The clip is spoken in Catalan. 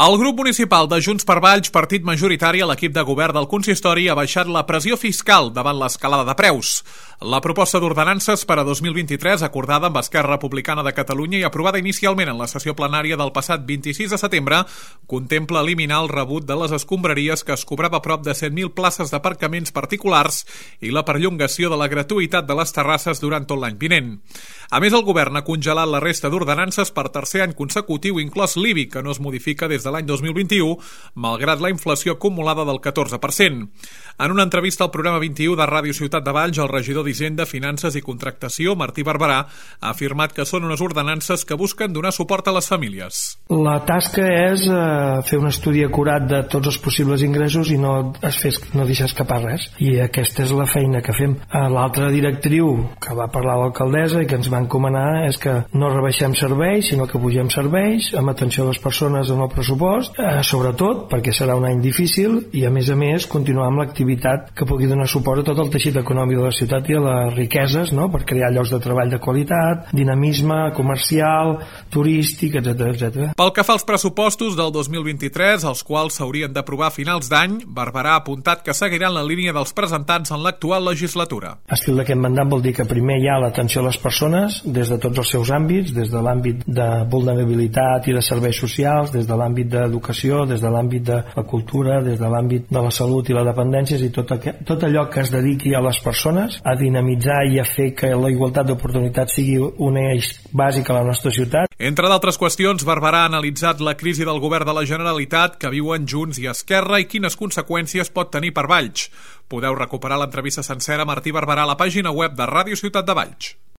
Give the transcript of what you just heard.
El grup municipal de Junts per Valls, partit majoritari a l'equip de govern del consistori, ha baixat la pressió fiscal davant l'escalada de preus. La proposta d'ordenances per a 2023, acordada amb Esquerra Republicana de Catalunya i aprovada inicialment en la sessió plenària del passat 26 de setembre, contempla eliminar el rebut de les escombraries que es cobrava prop de 100.000 places d'aparcaments particulars i la perllongació de la gratuïtat de les terrasses durant tot l'any vinent. A més, el govern ha congelat la resta d'ordenances per tercer any consecutiu, inclòs l'IBI, que no es modifica des de l'any 2021, malgrat la inflació acumulada del 14%. En una entrevista al programa 21 de Ràdio Ciutat de Valls, el regidor d'Hisenda, Finances i Contractació, Martí Barberà, ha afirmat que són unes ordenances que busquen donar suport a les famílies. La tasca és fer un estudi acurat de tots els possibles ingressos i no deixar escapar res. I aquesta és la feina que fem. L'altra directriu que va parlar l'alcaldessa i que ens va encomanar és que no rebaixem serveis, sinó que pugem serveis amb atenció a les persones en el pressupost, sobretot perquè serà un any difícil i a més continuar amb l'activitat que pugui donar suport a tot el teixit econòmic de la ciutat i a les riqueses, no? Per crear llocs de treball de qualitat, dinamisme comercial, turístic, etc. Pel que fa als pressupostos del 2023, els quals s'haurien d'aprovar a finals d'any, Barberà ha apuntat que seguiran la línia dels presentats en l'actual legislatura. Estil d'aquest mandat vol dir que primer hi ha l'atenció a les persones des de tots els seus àmbits, des de l'àmbit de vulnerabilitat i de serveis socials, des de l'àmbit d'educació, des de l'àmbit de la cultura, des de l'àmbit de la salut i la dependència, i tot allò que es dediqui a les persones, a dinamitzar i a fer que la igualtat d'oportunitats sigui un eix bàsic a la nostra ciutat. Entre d'altres qüestions, Barberà ha analitzat la crisi del govern de la Generalitat que viuen Junts i Esquerra i quines conseqüències pot tenir per Valls. Podeu recuperar l'entrevista sencera a Martí Barberà a la pàgina web de Ràdio Ciutat de Valls.